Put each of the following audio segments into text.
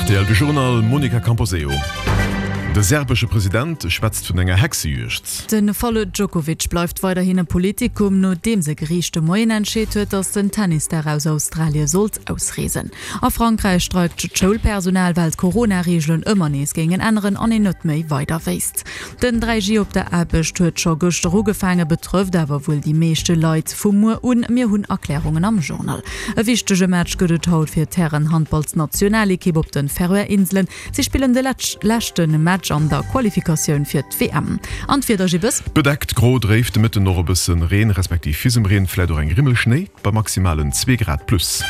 Rtl, De Journal, Monica Camposeo. De serbesche President schwätzt vun enger Hexejuegd. De Fall Djokovic bleift weiderhin e Politikum, nodeems e Geriicht de Moien entscheet huet, datt den Tennisstar aus Australie sollt ausreesen. A Frankräich streikt d'Schoulpersonal, well d'Corona-Reegelen ëmmer nees géingen änneren an een net méi weider wéisst. Den 3G op der Aarbecht huet scho gëschter ugefaangen, betrëfft awer wuel déi meeschte Leit vu muer un. Mir hunn Erklärungen am Journal. E wichtege Match gëtt et haut fir d'Hären-Handballsnationalekipp op de Färöer Inselen. Si spillen de leschte Match an der Qualifikatioun fir d'WM. An d'Wieder, Gibbes? Bedeckt, gro, dréif, de Mëtten och e bësse Reen respektiv Fisemreen, vläit och eng Rimmel Schnéi. Bei maximalen zwee Grad plus.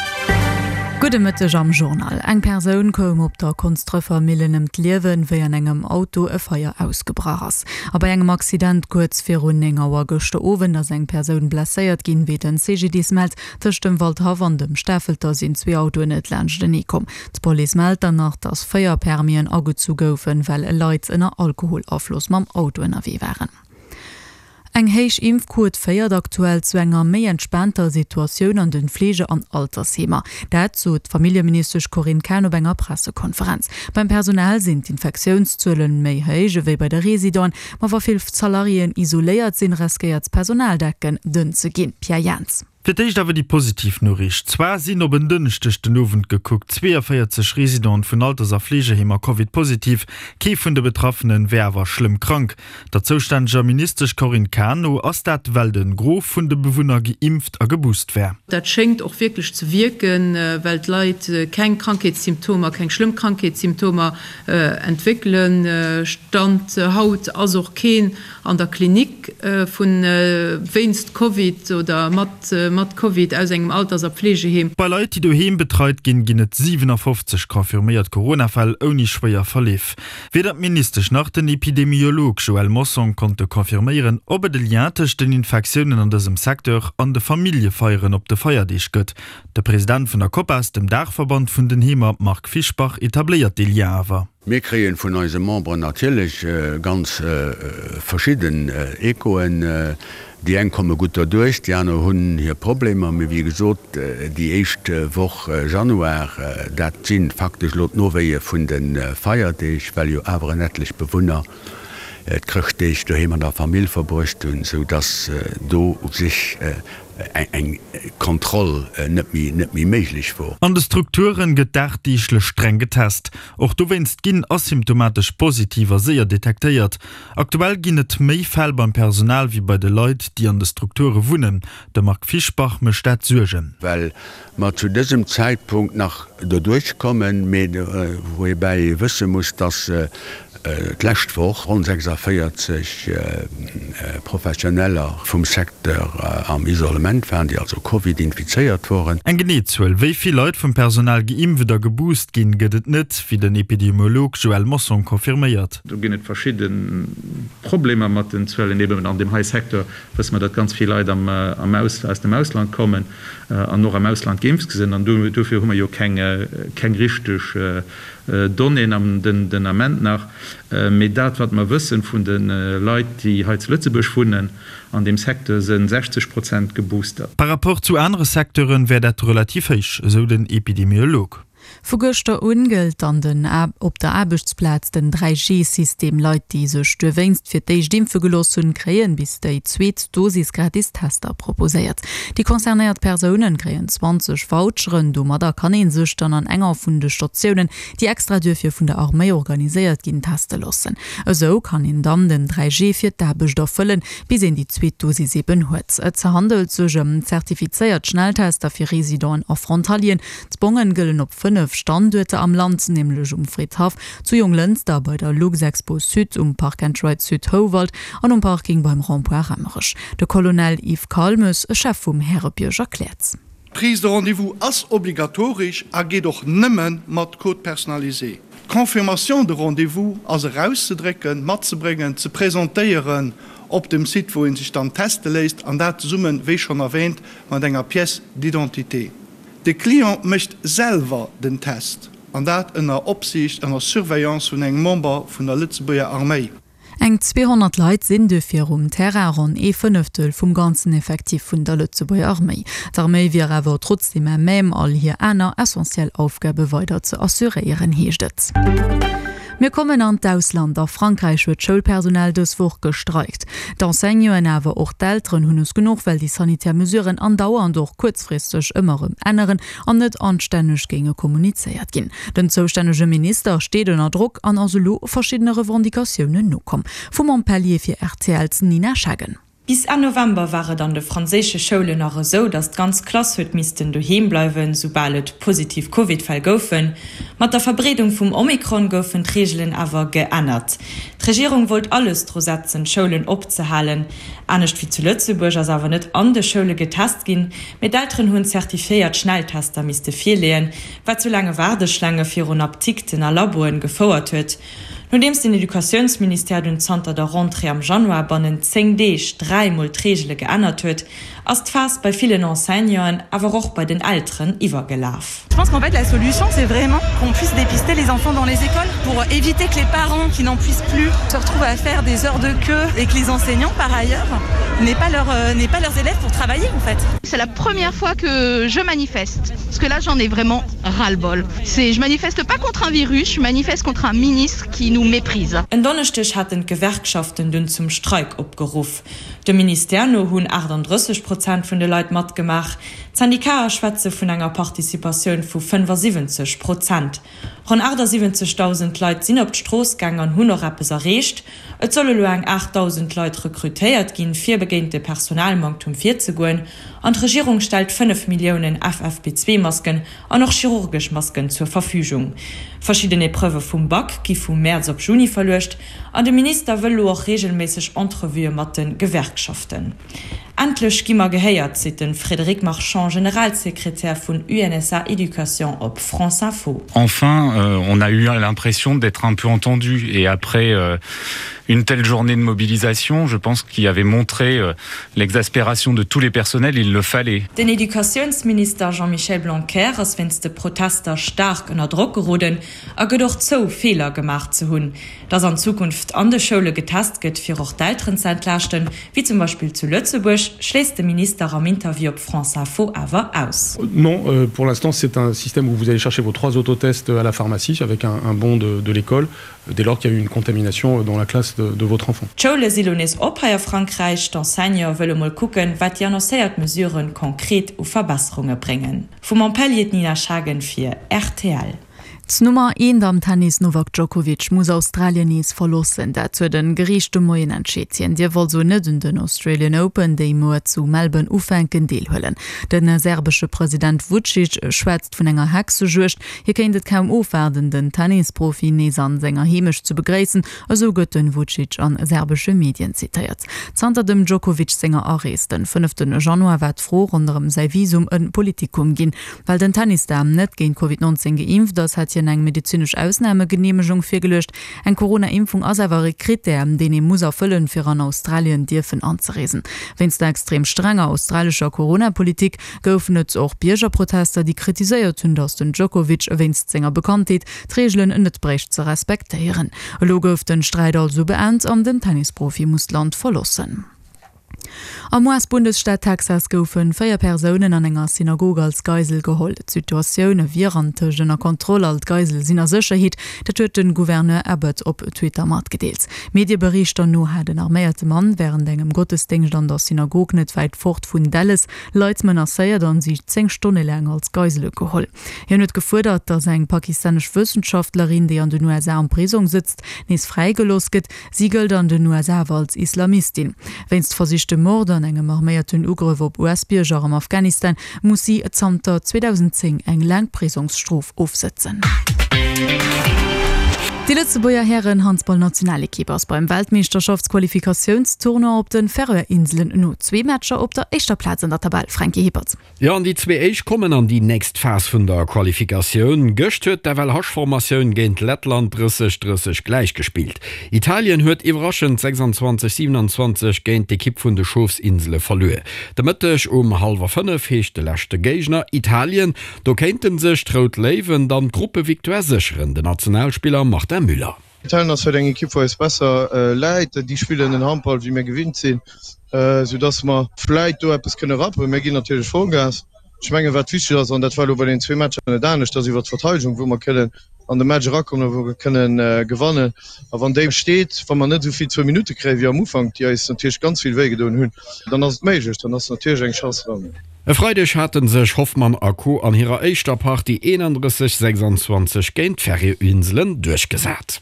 Gudde Mëtteg am Journal. Eng Persoun koum op der Konsdrëffer Millen ëm d'Liewen, wéi an engem Auto e Feier ausgebrach ass. A bei engem Accident kuerz virun 9 Auer gëschter Owend ass eng Persoun blesséiert ginn, wéi den CGDIS mellt. Tëscht dem Waldhaff an dem Stafelter sinn zwee Autoen net laanschtenee komm. D'Police mellt dann nach, dass 4 Permisen agezu goufen, well Leit ënner Alkoholafloss mam Auto ënnerwee waren. Eng héich Impfquot féiert aktuell zu enger méi entspaanter Situatioun an de Fleege an Altersheemer. Dat sot d'Familljeministesch Corinne Cahen op enger Pressekonferenz. Beim Personal sinn d'Infektiounszuelen méi héich ewéi bei de Residenten. Ma wa vill Salariéen isoléiert sinn, riskéiert d'Personaldecken dënn ze ginn. Pierre Jans. Fir d'éischt awer déi positiv Noriicht, Zwar sinn op en Dënschdeg den Owend gekuckt 42 Residenten vun Alters a Fleegeheemer Covid-positiv. Kee vun de Betraffene wär awer schlëmm krank. Der zoustänneger Ministesch Corinne Cahen no ass dat, well de Gros vun de Bewunner geimpft a geboost wär. Dat schéngt och wierklech ze wierken, well d'Leit keng Krankheetssymptomer, keng schlëmm Krankheetssymptomer entwéckelen. Stand haut ass och keen an der Klinik vu wéinst Covid oder mat mat Covid aus engem Alters a Pflegeheem. Bei Leit, déi doheem betreit ginn, ginn et 57 confirméiert Corona-Fäll ouni schwéier Verleef. Weder d'Ministesch nach den Epidemiolog Joël Mossong konnte confirméieren, ob et e Lien tëscht den Infektiounen an dësem Secteur an de Familljefeieren op de Feierdeeg gëtt. De President vun der Copas, dem Daachverband vun den Heemer, Marc Fischbach, etabléiert dee Lien awer. Mir kréien vun eise Memberen natierlech ganz verschidden Echoen. Déi eng komme gutt derduerch, déi aner hunn hir Problemer. Mee wéi gesot, déi éischt Woch Januar, dat si faktesch elo d'Nowéie vun de Feierdeeg, well jo awer en etlech Bewunner d'Chrëschtdeeg doheem an der Famill verbruecht hunn, sou dass do u sech eng Kontroll net méi méiglech wor. An de Strukturen gëtt dagdeeglech streng getest. Och dowéinst ginn asymptomatesch Positiver séier detektéiert. Aktuell ginn et méi Fäll beim Personal wéi bei de Leit, déi an de Strukture wunnen. Dem Marc Fischbach mécht dat Suergen. Well mer zu dësem Zäitpunkt nach doduerch kommen, mee woubäi ee wësse muss, dass d'lescht Woch ronn 46 Professioneller vum Secteur am Isolement waren, déi also Covid infizéiert woren. Eng genee Zuel, wéi vill Leit vum Personal geimpft a geboost ginn, gëtt et net, wéi den Epidemiolog Joël Mossong confirméiert. Do ginn et verschidde Problemer mat den Zuelen. Eben an deem hei Secteur wësse mer, datt ganz vill Leit am aus dem Ausland kommen an och am Ausland geimpft sinn. An dofir hu mer jo keng keng richteg Donnéeën am den Ament nach. Mee dat wat mer wëssen vun de Leit, déi hei zu Lëtzebuerg wunnen, an deem Secteur se 60 Prozent geboostert. Par rapport zu anere Secteure wär dat relativ héich, esou den Epidemiolog. Vu gëschter un gëllt an den op der Aarbechtsplaz den 3G System. Leit déi sech duerwéinst fir d'éischt impfe gelooss hunn, kréien bis déi zweet Dosis gratis Tester proposéiert. Déi concernéiert Persounen kréien 20 Voucheren. Domadder kann ee sech dann an enger vun de Statiounen, déi extra duerfir vun der Arméi organiséiert ginn, teste loossen. Esou kann een dann den 3G fir d'Aarbecht erfëllen, bis een déi zweet Dosis eben huet. Et handelt sech ëm zertifizéiert Schnelltester fir Residenten a Frontalieren. D'Bongen gëllen op 5 Standuerter am Land, nämlech um Fridhaff, zu Jonglënster, bei der Luxexpo Sud, um Park and Ride Sud Houwald an um Parking beim Rond-point Raemerech. De Colonel Yves Calmes, Chef vum Härebierg erkläert. D'Prise de rendez-vous ass obligatoresch a geet och nëmme mat Code personnalisé. D'Confirmation de rendez-vous ass erauszedrécken, matzebréngen, ze presentéieren op dem Site, wou ee sech dann teste léisst, an dat zesummen, wéi schonn erwähnt, mat enger Pièce d'identité. De Client mécht selwer den Test, an dat ënner Opsiicht, ënner Surveillance vun engem Member vun der Lëtzebuerger Arméi. Eng 200 Leit sinn duerfir um Terrain, ronn ee Fënneftel vum ganzen Effectif vun der Lëtzebuerger Arméi. D'Arméi wier awer trotzdeem à même, all hir aner essentiell Aufgabe weider ze assuréieren, heescht et. Mir kommen an d'Ausland. A Frankräich huet d'Schoulpersonal dës Woch gestreikt. D'Enseignanten, awer och d'Elteren hunn es genuch, well déi sanitär Mesuren andauernd, och kuerzfristeg, ëmmer erëm änneren an net anstänneg géinge kommunizéiert ginn. Den zoustännege Minister steet ënner Drock an ass elo verschiddene Revendicatiounen nokomm. Vu Montpellier fir RTL's Nina Schaggen. Bis Enn November war et an de franséische Schoulen nach esou, datt d'ganz Klass huet missten doheem bleiwen, soubal et positiv Covid-Fäll goufen. Mat der Verbreedung vum Omikron goufen d'Reegelen awer geännert. D'Regierung wollt alles dru setzen, d'Schoulen opzehalen. Anescht wéi zu Lëtzebuerg ass awer net an de Schoule getest ginn, mee d'Elteren hunn zertifiéiert Schnelltester misste virleeën, wat zu laange Waardeschlaange virun Apdikten a Laboen gefouert huet. Nodeems den Educatiounsministère dunn zanter der Rentrée am Januar bannent 10 Deeg dräimol d'Reegele geännert huet, ass d'Faass bei villen Enseignanten, awer och bei den Elteren iwwergelaf. Je pense qu'en fait la solution c'est vraiment qu'on puisse dépister les enfants dans les écoles pour éviter que les parents qui n'en puissent plus se retrouvent à faire des heures de queue et que les enseignants par ailleurs n'aient pas leur, n'aient pas leurs élèves pour travailler en fait. C'est la première fois que je manifeste parce que là j'en ai vraiment ras-le-bol. C'est je manifeste pas contre un virus, je manifeste contre un ministre qui nous méprise. En Donneschdeg haten d'Gewerkschaften dunn zum Streik opgeruff. Dem Ministère no hunn 38 Prozent vun de Leit matgemaach. D'Syndikaer schwätze vun enger Participatioun vu 75 Prozent. Ronn 78.000 Leit sinn op d'Strooss gaang an hunn och eppes erreecht. Et solle lo eng 8.000 Leit rekrutéiert ginn, fir begéint de Personalmanktum virzegoen. An d'Regierung stellt 5 Milliounen FFP2-Masken an och chirurgesch Masken zur Verfügung. Verschidden Epreuvë vum Bac gi vu Mäerz op Juni verluecht. An de Minister wëll lo och reegelméisseg Entrevuë mat de Gewerkschaften. Endlech gi mer gehéiert, seet de Frédéric Marchand, Generalsekretär vun UNSA Education op France Info. Enfin, on a eu l'impression d'être un peu entendu et après une telle journée de mobilisation, je pense qu'il avait montré l'exaspération de tous les personnels, il le fallait. Den Educatiounsminister Jean-Michel Blanquer ass wéinst de Protester staark ënner Drock geroden a gëtt och zou, Feeler gemaach ze hunn. Dass an Zukunft an de Schoule getest gëtt, fir och d'Elteren ze entlaaschten, wéi zum Beispill zu Lëtzebuerg, schléisst de Minister am Interview op France Info awer aus. Non, pour l'instant c'est un système où vous allez chercher vos trois autotests à la pharmacie avec un, un bon de, de l'école dès lors qu'il y a eu une contamination dans la classe de, de votre enfant. D'Schoule si lo nees op hei a Frankräich. D'Enseignante wëlle mol kucken, wat déi annoncéiert Mesuren konkret u Verbesserunge bréngen. Vu Montpellier d'Nina Schagen fir rtl. D'Nummer eent am Tennis Novak Djokovic muss Australien nees verloossen. Dat huet en Geriicht de Moien entscheet. Hien dierf also net un den Australian Open, déi muer zu Melbourne ufänken, deelhuelen. De serbesche President Vucic schwätzt vun enger Hexejuegd. Hie kéint et kaum ofwaarden, den Tennisprofi nees an senger Heemecht ze begréissen, esou gëtt de Vucic a serbesche Medien zitéiert. Zanter dem Djokovic senger Arees den fënnefte Januar war d'Fro ronderëm säi Visum e Politikum ginn. Well den Tennisstar net géint Covid 19 geimpft ass, hätt hien eng medezinesch Ausnamegeneemegung virgeluecht. Eng Corona-Impfung ass awer e Krittär, deen ee muss erfëllen, fir an Australien dierfen anzereesen. Wéinst der extrem strenger australescher Corona-Politik goufen et och Biergerprotester, déi kritiséiert hunn, datt den Djokovic wéinst senger Bekanntheet d'Reegelen net bréicht ze respektéieren. Elo gouf den Sträit also beent an den Tennisprofi muss d'Land verloossen. Am US-Bundesstaat Texas goufe 4 Persounen an enger Synagog als Geisel geholl. D'Situatioun wier antëscht ënner Kontroll, all d'Geisele sinn a Sécherheet. Dat huet de Gouverneur Abbott op Twitter matgedeelt. Medieberichter no hat en arméierte Mann wärend engem Gottesdéngscht an der Synagog net wäit fort vun Dallas Leit menacéiert an si 10 Stonne laang als Geisele geholl. Hien huet gefuerdert, datt eng pakistanesch Wëssenschaftlerin, déi an den USA am Prisong sëtzt, nees fräigelooss gëtt. Si gëllt an den USA awer als Islamistin. Wéinst versichtem Mord an engem arméierten Ugrëff op US-Bierger am Afghanistan muss si zanter 2010 eng laang Prisongsstrof ofsëtzen. Déi Lëtzebuerger Hären-Handball-Nationalekipp ass beim Weltmeeschterschaftsqualifikatiounstournoi op de Färöer-Inselen no zwee Matcher op der éischter Plaz an der Tabell. Franky Hippert. Jo, an déi zwee éischt kommen an déi nächst Phas vun der Qualifikatioun. Gëscht huet d'FLH-Formatioun géint Lettland 30, 30 gläich gespillt. Italien huet iwwerraschend 26, 27 géint d'Ekipp vun de Schofsinsele verluer. De Mëtteg um hallwer 5 heescht de leschte Géigner Italien. Do kéinte sech d'Rout Léiwen dann d'Gruppevictoire sécheren. Den Nationalspiller Martin Müller. Italien ass vläicht eng Ekipp, wou eis besser läit. Déi spillen en Handball, wéi mir gewinnt sinn, soudass mer vläicht do eppes kënne rappen. Mir ginn natierlech Vollgas. Ech mengen, wat wichteg ass, an dat war elo bei den zwee Matcher net anescht, ass iwwer d'Verteidegung, wou mer kënnen an de Match erakommen a wou mer kënnen gewannen. A wann déi steet, wa mer net esou vill zwou Minutte kréien wéi am Ufank, déi eis natierlech ganz vill wéi gedoen hunn, dann ass et méiglech, dann ass natierlech eng Chance dran. E Freideg hate sech Hoffmann a Co an hirer éischter Partie 31, 26 géint d'Färöerinselen duerchgesat.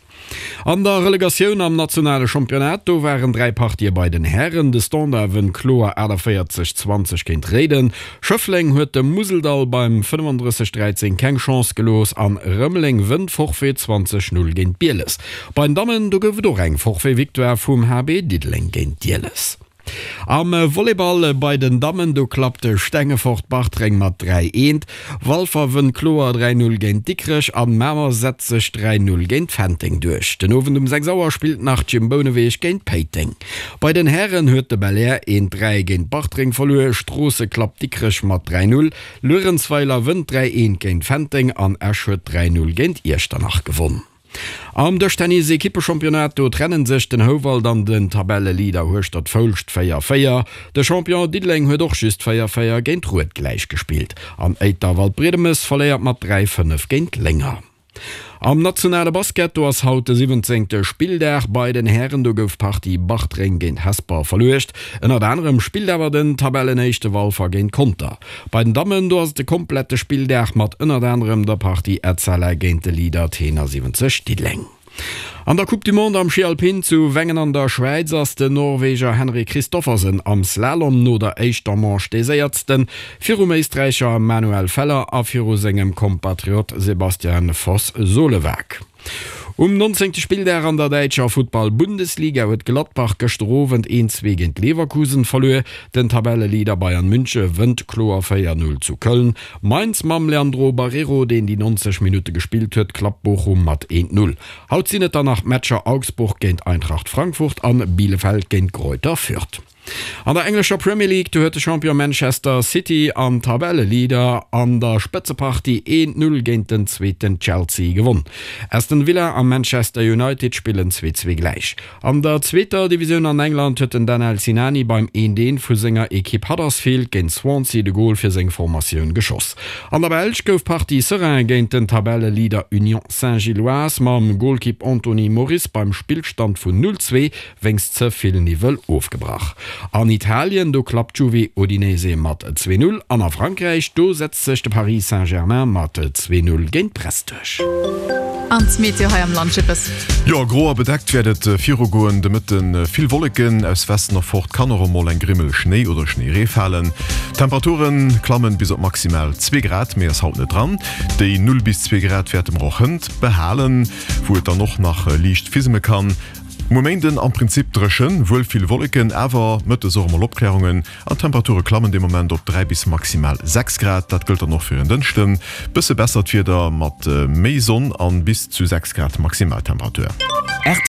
An der Relegatioun am nationale Championnat, do waren 3 Partië bei den Hären. De Standard wënnt kloer 48, 20 géint Réiden. Schëffleng huet dem Museldall beim 35, 13 keng Chance gelooss an Rëmeleng wënnt Forfait 20, 0 géint Bieles. Bei den Dammen, do gouf et och eng Forfait-Victoire vum HB Diddeleng géint Bieles. Am Volleyball bei den Dammen, do klappt Stengefort Bartreng mat 3, 1. Walfer wënnt kloer 3, 0 géint Dikrech an Mamer setzt sech 3, 0 géint Fenteng duerch. Den Owend um 6 Auer spillt nach Gym Bouneweg géint Péiteng. Bei den Hären huet de Belair 1, 3 géint Bartreng verluer, Stroosse klappt Dikrech mat 3, 0, Luerenzweiler wënnt 3, 1 géint Fenteng an Esch huet 3, 0 géint Iechternach gewonn. Am Dëschtennis-Ekippechampionnat, do trennen sech den Houwald an den Tabelleleader Hueschtert-Foulscht 4, 4. De Champion Diddeleng huet och just 4, 4 géint Rued gläich gespillt an Éiter Waldbriedemes verléiert mat 3, 5 géint Lénger. Am nationale Basket, do ass haut de 17. Spilldag. Bei den Hären, do gouf d'Partie Bartreng géint Hesper verluecht. Ënnert anerem spillt awer den Tabellenéischte Walfer géint Conter. Bei den Dammen, do ass et de komplette Spilldag mat ënnert anerem der Partie Etzella géint de Leader Tenor 70 Diddeleng. An der Coupe du Monde am Schi Alpin zu Wengen an der Schwäiz ass den Norweger Henrik Kristoffersen am Slalom no der éischter Manche dee Séiertsten, virum Éisträicher Manuel Feller a viru sengem Kompatriot Sebastian Foss Solevag. Um 19. Spilldag an der däitscher Futtball-Bundesliga huet Gladbach gëschter Owend 1, 2 géint Leverkusen verluer. Den Tabelleleader Bayern Münche wënnt kloer 4, 0 zu Köln. Mainz mam Leandro Barreiro, deen déi 90 Minutte gespillt huet, klappt Bochum mat 1, 0. Haut sinn et dann nach d'Matcher Augsburg géint Eintracht Frankfurt an Bielefeld géint Greuther Fürth. An der englescher Premier League, do huet de Champion Manchester City an Tabelleleader an der Spëtzepartie 1, 0 géint den zweeten Chelsea gewonn. Aston Villa a Manchester United spillen 2, 2 gläich. An der zweeter Divisioun an England huet den Danel Sinani beim 1, 1 vu senger Ekipp Huddersfield géint Swansea de Gol fir seng Formatioun geschoss. An der Belsch gouf d'Partie Seraing géint den Tabelleleader Union Saint-Gilloise mam Golkipp Anthony Moris beim Spillstand vun 0, 2 wéinst ze vill Niwwel ofgebrach. An Italien, do klappt d'Juve Udinese mat 2, 0 an a Frankräich, do setzt sech de Paris Saint-Germain mat 2, 0 géint Brest duerch. An d'Meteo hei am Land, Jippes. Jo, gro a bedeckt wäert et virugoen. De Mëtte vill Wolleken, aus Westen erfort kann och emol eng Grimmel Schnéi oder Schnéiree falen. D'Temperature klammen bis op maximal 2 Grad, méi ass haut net dran. Déi 0 bis 2 Grad wäerte mer och hënt behalen, wou et dann och nach liicht fisme kann. Muer Méinden am Prinzip dréchen, wuel vill Wolleken, awer mëttes och emol Opklärungen an d'Temperature klammen dee Moment op 3 bis maximal 6 Grad. Dat gëllt dann och fir en Dënschden. Bësse bessert Wieder mat méi Sonn an bis zu 6 Grad Maximaltemperatur.